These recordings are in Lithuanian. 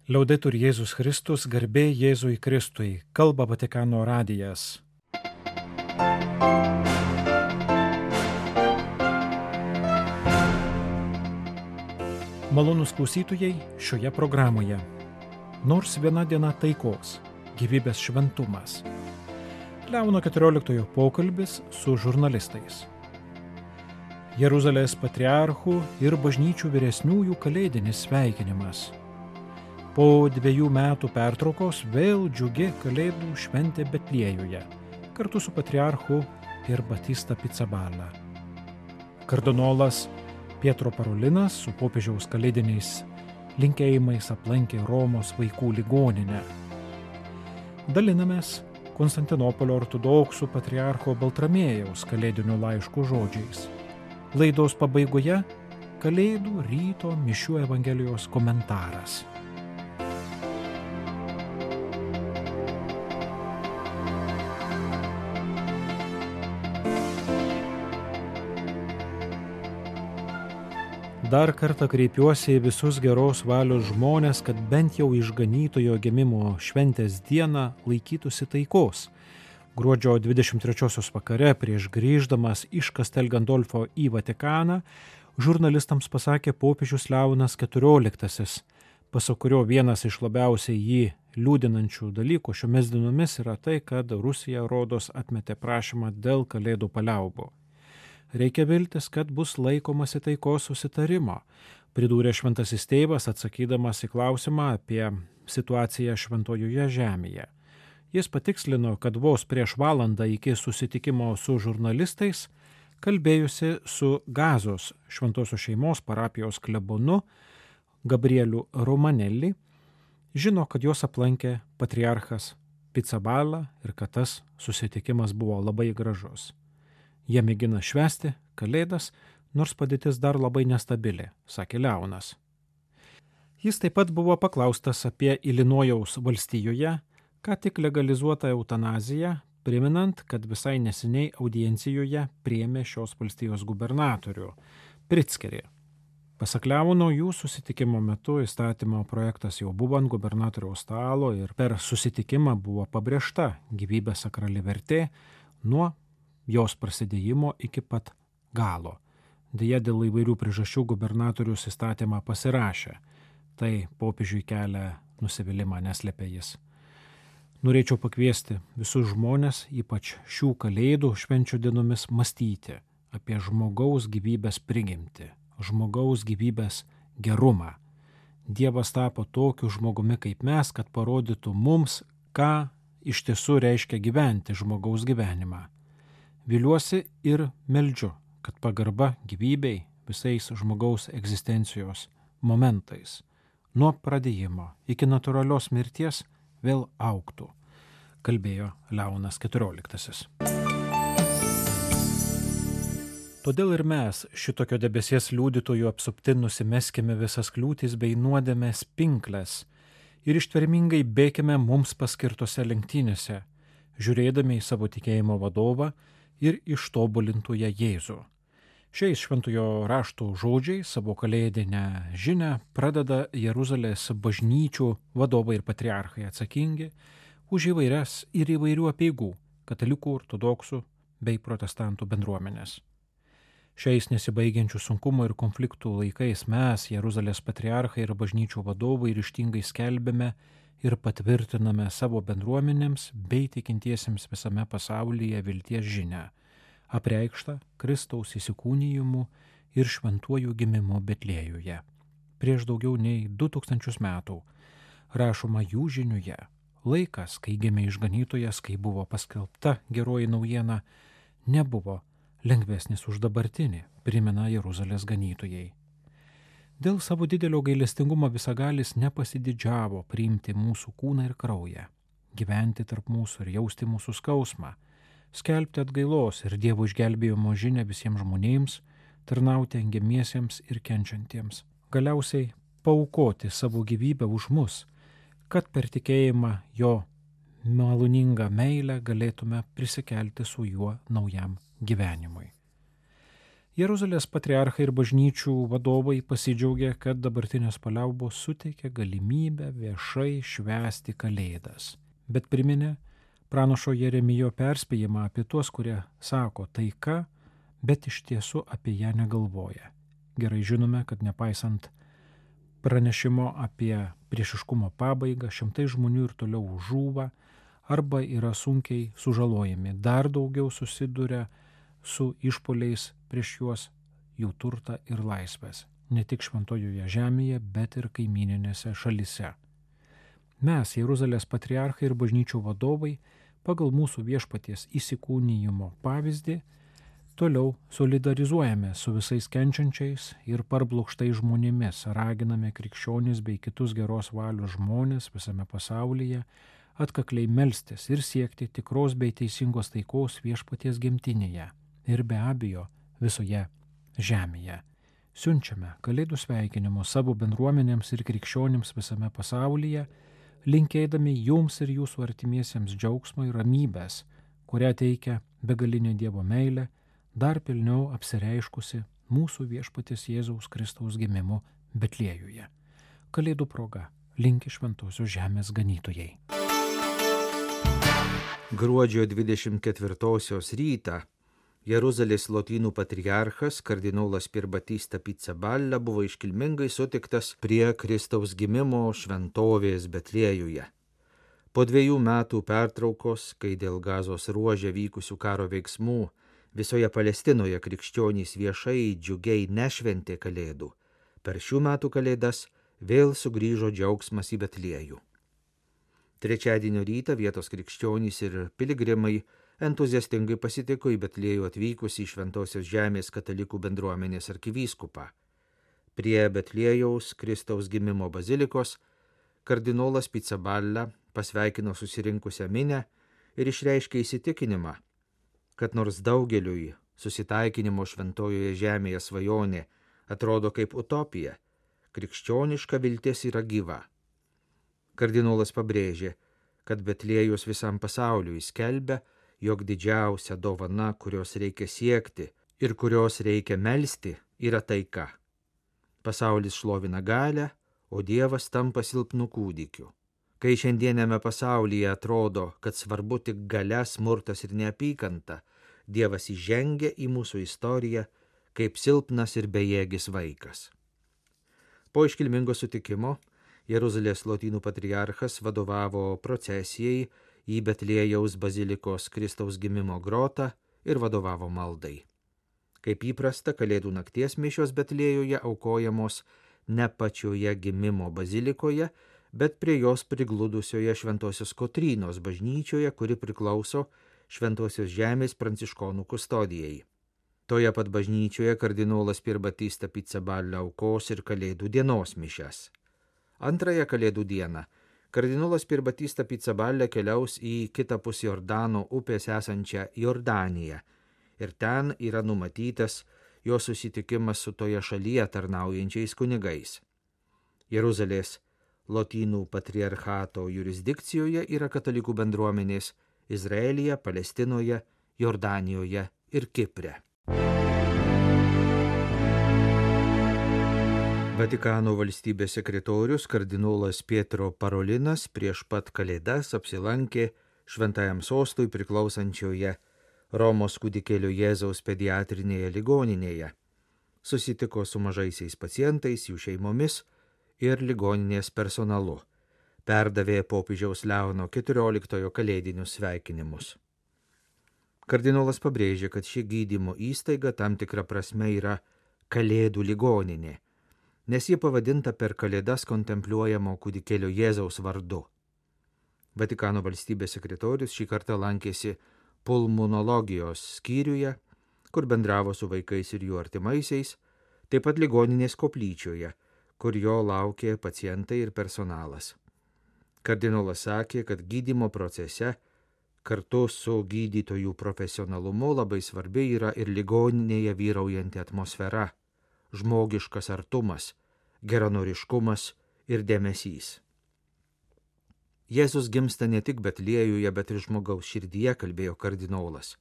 Liaudetur Jėzus Kristus, garbė Jėzui Kristui, kalba Vatikano radijas. Malonūs klausytojai šioje programoje. Nors viena diena taikos, gyvybės šventumas. Leono 14 pokalbis su žurnalistais. Jeruzalės patriarchų ir bažnyčių vyresniųjų kalėdinis sveikinimas. Po 2 metų pertraukos vėl džiugi kalėdų šventė Betliejuje, kartu su patriarchu ir Batista Pizzaballa. Kardinolas Pietro Parolinas su popiežiaus kalėdiniais linkėjimais aplankė Romos vaikų ligoninę. Dalinamės Konstantinopolio ortodoksų patriarcho Baltramiejaus kalėdinių laiškų žodžiais. Laidos pabaigoje Kalėdų ryto mišių Evangelijos komentaras. Dar kartą kreipiuosi į visus geros valios žmonės, kad bent jau išganytojo gimimo šventės dieną laikytųsi taikos. Gruodžio 23 vakare prieš grįždamas iš Castel Gandolfo į Vatikaną, žurnalistams pasakė popiežius Leonas XIV, pasak kurio vienas iš labiausiai jį liūdinančių dalykų šiomis dienomis yra tai, kad Rusija rodos atmetė prašymą dėl kalėdų paliaubų. Reikia viltis, kad bus laikomasi taikos susitarimo, pridūrė šventasis tėvas atsakydamas į klausimą apie situaciją šventojoje žemėje. Jis patikslino, kad vos prieš valandą iki susitikimo su žurnalistais kalbėjusi su Gazos šventosios šeimos parapijos klebonu Gabrieliu Romanelli, žino, kad jos aplankė patriarchas Pizzaballa ir kad tas susitikimas buvo labai gražus. Jie mėgina švęsti kalėdas, nors padėtis dar labai nestabili, sakė Leonas. Jis taip pat buvo paklaustas apie Ilinojaus valstijoje, ką tik legalizuotą eutanaziją, priminant, kad visai neseniai audiencijoje priėmė šios valstijos gubernatorių Pritzkerį. Pasak Leono, jų susitikimo metu įstatymo projektas jau buvo ant gubernatoriaus stalo ir per susitikimą buvo pabrėžta gyvybės sakrali vertė nuo jos prasidėjimo iki pat galo. Deja, dėl įvairių priežasčių gubernatorius įstatymą pasirašė. Tai popiežiui kelia nusivylimą, neslėpė jis. Norėčiau pakviesti visus žmones, ypač šių kalėdų švenčių dienomis, mąstyti apie žmogaus gyvybės prigimtį, žmogaus gyvybės gerumą. Dievas tapo tokiu žmogumi kaip mes, kad parodytų mums, ką iš tiesų reiškia gyventi žmogaus gyvenimą. Viliuosi ir meldžiu, kad pagarba gyvybei visais žmogaus egzistencijos momentais, nuo pradėjimo iki natūralios mirties vėl augtų, kalbėjo Leonas XIV. Todėl ir mes šitokio debesies liudytojų apsupti nusimeskime visas kliūtis bei nuodėmės pinkles ir ištvermingai bėkime mums paskirtose lenktynėse, žiūrėdami į savo tikėjimo vadovą ir ištobulintųją Jėzų. Šiais šventojo rašto žodžiais savo kalėdinę žinią pradeda Jeruzalės bažnyčių vadovai ir patriarchai atsakingi už įvairias ir įvairių apeigų katalikų, ortodoksų bei protestantų bendruomenės. Šiais nesibaigiančių sunkumų ir konfliktų laikais mes, Jeruzalės patriarchai ir bažnyčių vadovai, ryžtingai skelbėme ir patvirtiname savo bendruomenėms bei tikintiesiems visame pasaulyje vilties žinią, apreikštą Kristaus įsikūnijimu ir šventuoju gimimu Betliejuje. Prieš daugiau nei 2000 metų rašoma jų žiniuje, laikas, kai gimė išganytojas, kai buvo paskelbta geroji naujiena, nebuvo lengvesnis už dabartinį, primena Jeruzalės ganytojai. Dėl savo didelio gailestingumo visagalis nepasididžiavo priimti mūsų kūną ir kraują, gyventi tarp mūsų ir jausti mūsų skausmą, skelbti atgailos ir Dievo išgelbėjimo žinią visiems žmonėms, tarnauti engiamiesiems ir kenčiantiems, galiausiai paaukoti savo gyvybę už mus, kad per tikėjimą jo maloningą meilę galėtume prisikelti su juo naujam gyvenimui. Jeruzalės patriarchai ir bažnyčių vadovai pasidžiaugė, kad dabartinės paliaubos suteikia galimybę viešai švęsti Kalėdas. Bet priminė pranašo Jeremijo perspėjimą apie tuos, kurie sako taika, bet iš tiesų apie ją negalvoja. Gerai žinome, kad nepaisant pranešimo apie priešiškumo pabaigą, šimtai žmonių ir toliau žūva arba yra sunkiai sužalojami, dar daugiau susiduria su išpoliais prieš juos, jų turtą ir laisvės, ne tik šventojoje žemėje, bet ir kaimininėse šalise. Mes, Jeruzalės patriarchai ir bažnyčių vadovai, pagal mūsų viešpaties įsikūnijimo pavyzdį, toliau solidarizuojame su visais kenčiančiais ir parblokštais žmonėmis, raginame krikščionis bei kitus geros valios žmonės visame pasaulyje atkakliai melstis ir siekti tikros bei teisingos taikos viešpaties gimtinėje ir be abejo visoje žemėje. Siunčiame Kalėdų sveikinimus savo bendruomenėms ir krikščionims visame pasaulyje, linkėdami jums ir jūsų artimiesiems džiaugsmo ir ramybės, kurią teikia begalinė Dievo meilė, dar pilniau apsireiškusi mūsų viešpaties Jėzaus Kristaus gimimu Betliejuje. Kalėdų proga linki Šventosios žemės ganytojai. Gruodžio 24 rytą Jeruzalės lotynų patriarchas kardinolas Pierbatista Pizzaballa buvo iškilmingai sutiktas prie Kristaus gimimo šventovės Betliejuje. Po 2 metų pertraukos, kai dėl Gazos ruože vykusių karo veiksmų visoje Palestinoje krikščionys viešai džiugiai nešventė Kalėdų, per šių metų Kalėdas vėl sugrįžo džiaugsmas į Betliejų. Trečiadienio rytą vietos krikščionys ir piligrimai entuziastingai pasitiko į Betliejų atvykusį Šventosios žemės katalikų bendruomenės arkivyskupą. Prie Betliejaus Kristaus gimimo bazilikos kardinolas Pizzaballa pasveikino susirinkusią minią ir išreiškė įsitikinimą, kad nors daugeliui susitaikinimo Šventojoje žemėje svajonė atrodo kaip utopija, krikščioniška viltis yra gyva. Kardinolas pabrėžė, kad Betliejus visam pasauliui skelbia, jog didžiausia dovana, kurios reikia siekti ir kurios reikia melsti, yra taika. Pasaulis šlovina galią, o Dievas tampa silpnu kūdikiu. Kai šiandienėme pasaulyje atrodo, kad svarbu tik galia, smurtas ir neapykanta, Dievas įžengia į mūsų istoriją kaip silpnas ir bejėgis vaikas. Po iškilmingo sutikimo Jeruzalės lotynų patriarchas vadovavo procesijai į Betliejaus bazilikos Kristaus gimimo grotą ir vadovavo maldai. Kaip įprasta, Kalėdų nakties mišios Betliejuje aukojamos ne pačioje gimimo bazilikoje, bet prie jos prigludusioje Šventosios Kotrynos bažnyčioje, kuri priklauso Šventosios žemės pranciškonų kustodijai. Toje pat bažnyčioje kardinolas Pierbatista Pizzaballa aukos ir Kalėdų dienos mišias. Antrąją Kalėdų dieną kardinolas Pierbatista Pizzaballa keliaus į kitapus Jordano upės esančią Jordaniją ir ten yra numatytas jo susitikimas su toje šalyje tarnaujančiais kunigais. Jeruzalės lotynų patriarchato jurisdikcijoje yra katalikų bendruomenės Izraelyje, Palestinoje, Jordanijoje ir Kipre. Vatikano valstybės sekretorius kardinolas Pietro Parolinas prieš pat Kalėdas apsilankė Šventajam sostui priklausančioje Romos kūdikėlio Jėzaus pediatrinėje ligoninėje. Susitiko su mažaisiais pacientais, jų šeimomis ir ligoninės personalu. Perdavė popiežiaus Leono XIV kalėdinius sveikinimus. Kardinolas pabrėžė, kad ši gydymo įstaiga tam tikra prasme yra Kalėdų ligoninė, nes ji pavadinta per Kalėdas kontempliuojamo kūdikėlio Jėzaus vardu. Vatikano valstybės sekretorius šį kartą lankėsi pulmonologijos skyriuje, kur bendravo su vaikais ir jų artimaisiais, taip pat ligoninės koplyčioje, kur jo laukė pacientai ir personalas. Kardinolas sakė, kad gydymo procese kartu su gydytojų profesionalumu labai svarbi yra ir ligoninėje vyraujanti atmosfera, žmogiškas artumas, geranoriškumas ir dėmesys. Jėzus gimsta ne tik Betliejuje, bet ir žmogaus širdyje, kalbėjo kardinolas.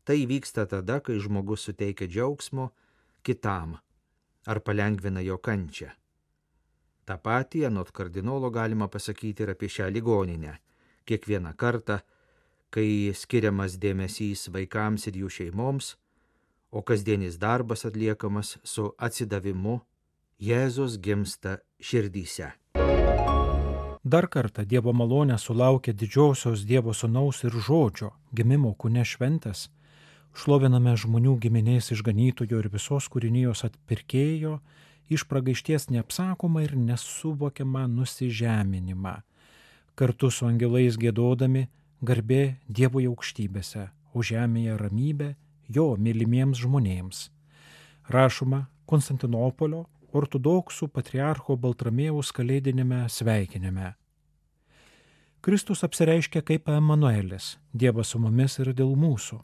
Tai vyksta tada, kai žmogus suteikia džiaugsmo kitam ar palengvina jo kančią. Ta patį anot kardinolo galima pasakyti ir apie šią ligoninę. Kiekvieną kartą, kai skiriamas dėmesys vaikams ir jų šeimoms, o kasdienis darbas atliekamas su atsidavimu, Jėzus gimsta širdyse. Dar kartą Dievo malonė sulaukė didžiosios Dievo Sūnaus ir Žodžio gimimo kūne šventės. Šloviname žmonių giminės išganytojo ir visos kūrinijos atpirkėjo iš pragaišties neapsakomą ir nesuvokiamą nusižeminimą. Kartu su angelais giedodami garbė Dievui aukštybėse, o žemėje ramybė jo mylimiems žmonėms. Rašoma Konstantinopolio ortodoksų patriarcho Baltramiejaus kalėdinėme sveikinime. Kristus apsireiškia kaip Emanuelis, Dievas su mumis ir dėl mūsų.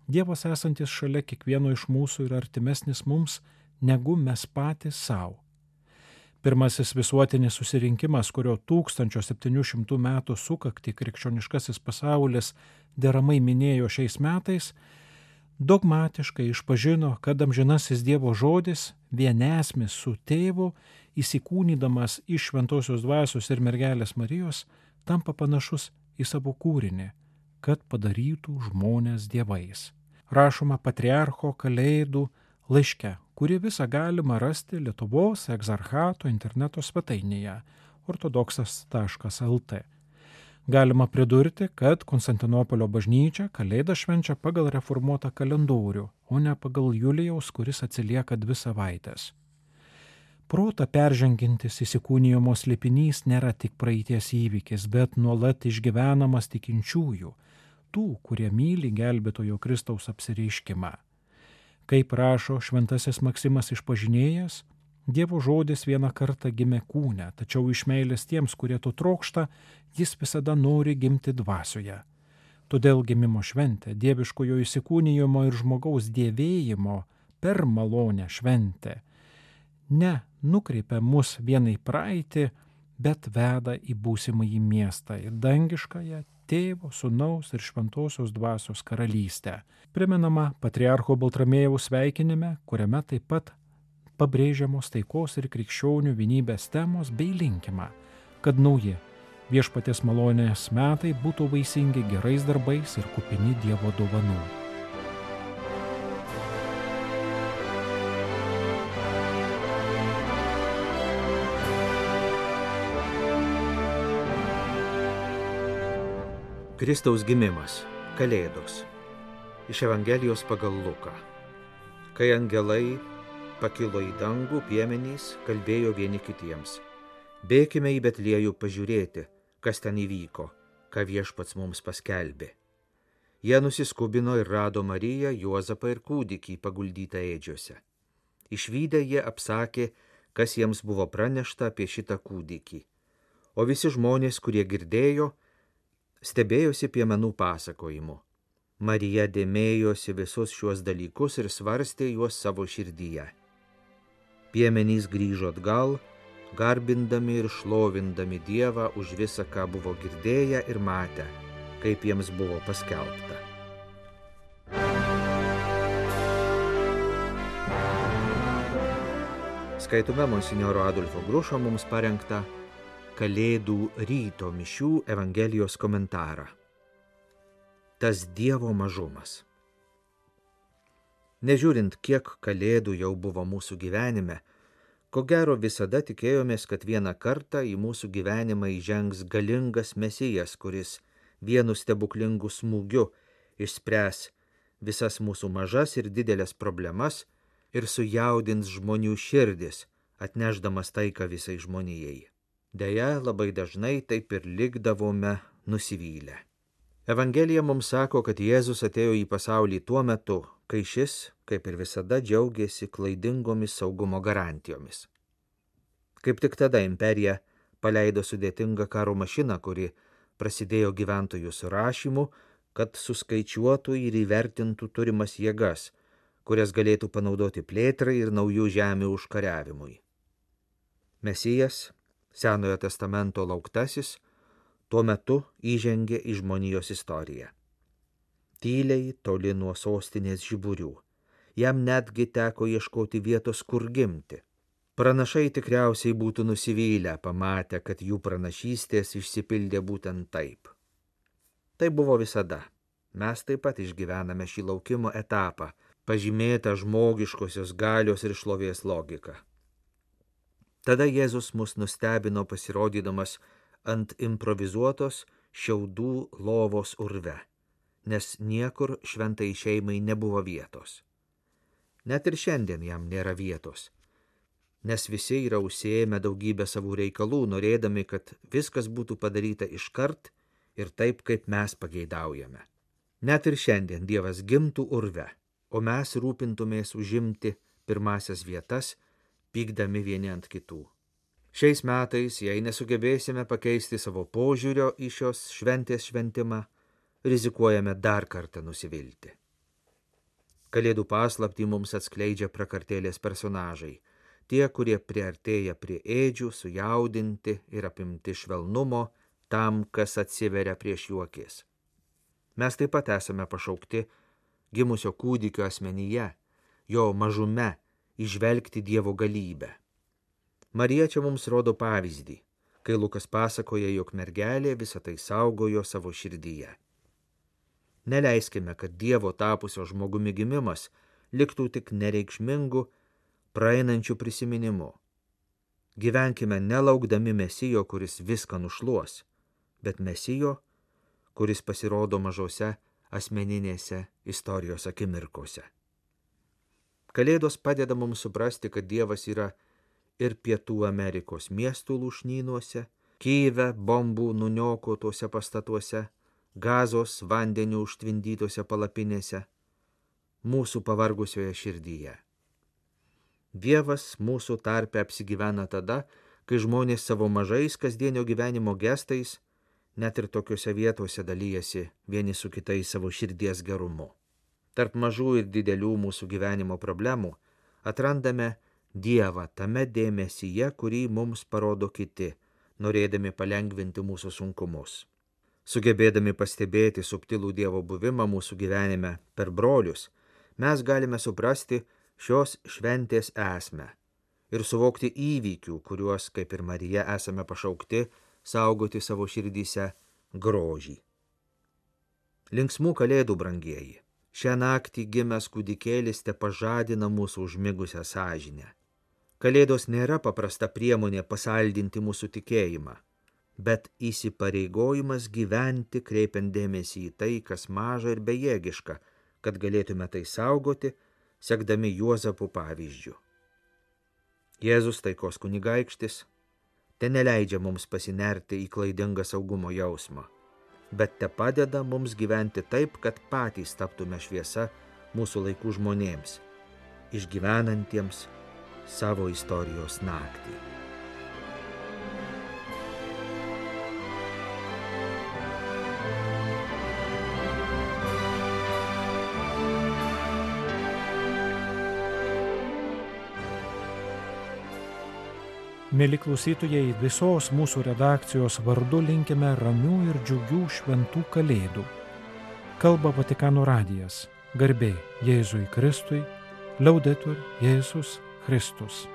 Dievas esantis šalia kiekvieno iš mūsų yra artimesnis mums, negu mes patys savo. Pirmasis visuotinis susirinkimas, kurio 1700 metų sukaktį krikščioniškasis pasaulis deramai minėjo šiais metais, dogmatiškai išpažino, kad amžinasis Dievo žodis vienesmis su tėvu, įsikūnydamas iš šventosios dvasios ir mergelės Marijos, tampa panašus į savo kūrinį, kad padarytų žmonės dievais. Rašoma patriarcho Kalėdų laiške, kurį visą galima rasti Lietuvos egzarchato interneto svetainėje ortodoksas.lt. Galima pridurti, kad Konstantinopolio bažnyčia Kalėdą švenčia pagal reformuotą kalendorių, o ne pagal Julijaus, kuris atsilieka 2 savaitės. Protą peržengiantis įsikūnijimo slėpinys nėra tik praeities įvykis, bet nuolat išgyvenamas tikinčiųjų, tų, kurie myli gelbėtojo Kristaus apsireiškimą. Kaip rašo šventasis Maksimas Išpažinėjas, Dievo žodis vieną kartą gimė kūne, tačiau iš meilės tiems, kurie to trokšta, jis visada nori gimti dvasioje. Todėl gimimo šventė, dieviškojo įsikūnijimo ir žmogaus dievėjimo per malonę šventė, ne nukreipia mus vienai praeitį, bet veda į būsimąjį miestą ir dangiškąją Tėvo, Sūnaus ir Šventosios dvasios karalystę. Primenama patriarcho Baltramiejaus sveikinime, kuriame taip pat pabrėžiamos taikos ir krikščionių vienybės temos bei linkima, kad nauji viešpaties malonės metai būtų vaisingi gerais darbais ir kupini Dievo dovanų. Kristaus gimimas, Kalėdos. Iš Evangelijos pagal Luką. Kai angelai pakilo į dangų, piemenys kalbėjo vieni kitiems: bėkime į Betliejų pažiūrėti, kas ten įvyko, ką viešpats mums paskelbė. Jie nusiskubino ir rado Mariją, Juozapą ir kūdikį paguldytą ėdžiose. Išvydę jie apsakė, kas jiems buvo pranešta apie šitą kūdikį. O visi žmonės, kurie girdėjo, stebėjosi piemenų pasakojimu. Marija dėmėjosi visus šiuos dalykus ir svarstė juos savo širdyje. Piemenys grįžo atgal, garbindami ir šlovindami Dievą už visą, ką buvo girdėję ir matę, kaip jiems buvo paskelbta. Skaitome monsinjoro Adolfo Grušo mums parengtą Kalėdų ryto mišių Evangelijos komentarą. Tas Dievo mažumas. Nežiūrint, kiek kalėdų jau buvo mūsų gyvenime, ko gero visada tikėjomės, kad vieną kartą į mūsų gyvenimą įžengs galingas Mesijas, kuris vienu stebuklingu smūgiu išspręs visas mūsų mažas ir didelės problemas ir sujaudins žmonių širdis, atnešdamas taiką visai žmonijai. Deja, labai dažnai taip ir likdavome nusivylę. Evangelija mums sako, kad Jėzus atėjo į pasaulį tuo metu, kai šis, kaip ir visada, džiaugėsi klaidingomis saugumo garantijomis. Kaip tik tada imperija paleido sudėtingą karo mašiną, kuri prasidėjo gyventojų surašymu, kad suskaičiuotų ir įvertintų turimas jėgas, kurias galėtų panaudoti plėtrai ir naujų žemių užkariavimui. Mesijas, Senojo testamento lauktasis, tuo metu įžengė į žmonijos istoriją. Tyliai toli nuo sostinės žiburių, jam netgi teko ieškoti vietos, kur gimti. Pranašai tikriausiai būtų nusivylę, pamatę, kad jų pranašystės išsipildė būtent taip. Tai buvo visada. Mes taip pat išgyvename šį laukimo etapą, pažymėtą žmogiškosios galios ir šlovės logika. Tada Jėzus mus nustebino pasirodydamas ant improvizuotos šiaudų lovos urve, nes niekur šventai šeimai nebuvo vietos. Net ir šiandien jam nėra vietos, nes visi yra užsiėmę daugybę savų reikalų, norėdami, kad viskas būtų padaryta iškart ir taip, kaip mes pageidaujame. Net ir šiandien Dievas gimtų urve, o mes rūpintumės užimti pirmasias vietas, pykdami vieni ant kitų. Šiais metais, jei nesugebėsime pakeisti savo požiūrio į šios šventės šventimą, rizikuojame dar kartą nusivilti. Kalėdų paslaptį mums atskleidžia prakartėlės personažai, tie, kurie priartėja prie ėdžių, sujaudinti ir apimti švelnumo tam, kas atsiveria prieš jų akis. Mes taip pat esame pašaukti gimusio kūdikio asmenyje, jo mažume įžvelgti Dievo galybę. Marija čia mums rodo pavyzdį, kai Lukas pasakoja, jog mergelė visą tai saugojo savo širdyje. Neleiskime, kad Dievo tapusio žmogumi gimimas liktų tik nereikšmingu, praeinančiu prisiminimu. Gyvenkime nelaukdami Mesijo, kuris viską nušluos, bet Mesijo, kuris pasirodo mažose asmeninėse istorijos akimirkose. Kalėdos padeda mums suprasti, kad Dievas yra ir Pietų Amerikos miestų lūšnynuose, Kyjive bombų nuniokotuose pastatuose, Gazos vandenių užtvindytose palapinėse, mūsų pavargusioje širdyje. Dievas mūsų tarpe apsigyvena tada, kai žmonės savo mažais kasdienio gyvenimo gestais net ir tokiuose vietose dalyjasi vieni su kitais savo širdies gerumu. Tarp mažų ir didelių mūsų gyvenimo problemų atrandame Dievą tame dėmesyje, kurį mums parodo kiti, norėdami palengvinti mūsų sunkumus. Sugebėdami pastebėti subtilų Dievo buvimą mūsų gyvenime per brolius, mes galime suprasti šios šventės esmę ir suvokti įvykių, kuriuos, kaip ir Marija, esame pašaukti saugoti savo širdyse grožį. Linksmų kalėdų, brangieji! Šią naktį gimęs kūdikėlis tepažadina mūsų užmigusią sąžinę. Kalėdos nėra paprasta priemonė pasaldinti mūsų tikėjimą, bet įsipareigojimas gyventi, kreipiant dėmesį į tai, kas maža ir bejėgiška, kad galėtume tai saugoti, sekdami Juozapo pavyzdžiu. Jėzus, taikos kunigaikštis, neleidžia mums pasinerti į klaidingą saugumo jausmą, bet tepadeda mums gyventi taip, kad patys taptume šviesa mūsų laikų žmonėms, išgyvenantiems savo istorijos naktį. Mieli klausytojai, visos mūsų redakcijos vardu linkime ramių ir džiugių šventų kalėdų. Kalba Vatikano radijas. Garbė Jėzui Kristui, Laudetur Jėzus Kristus.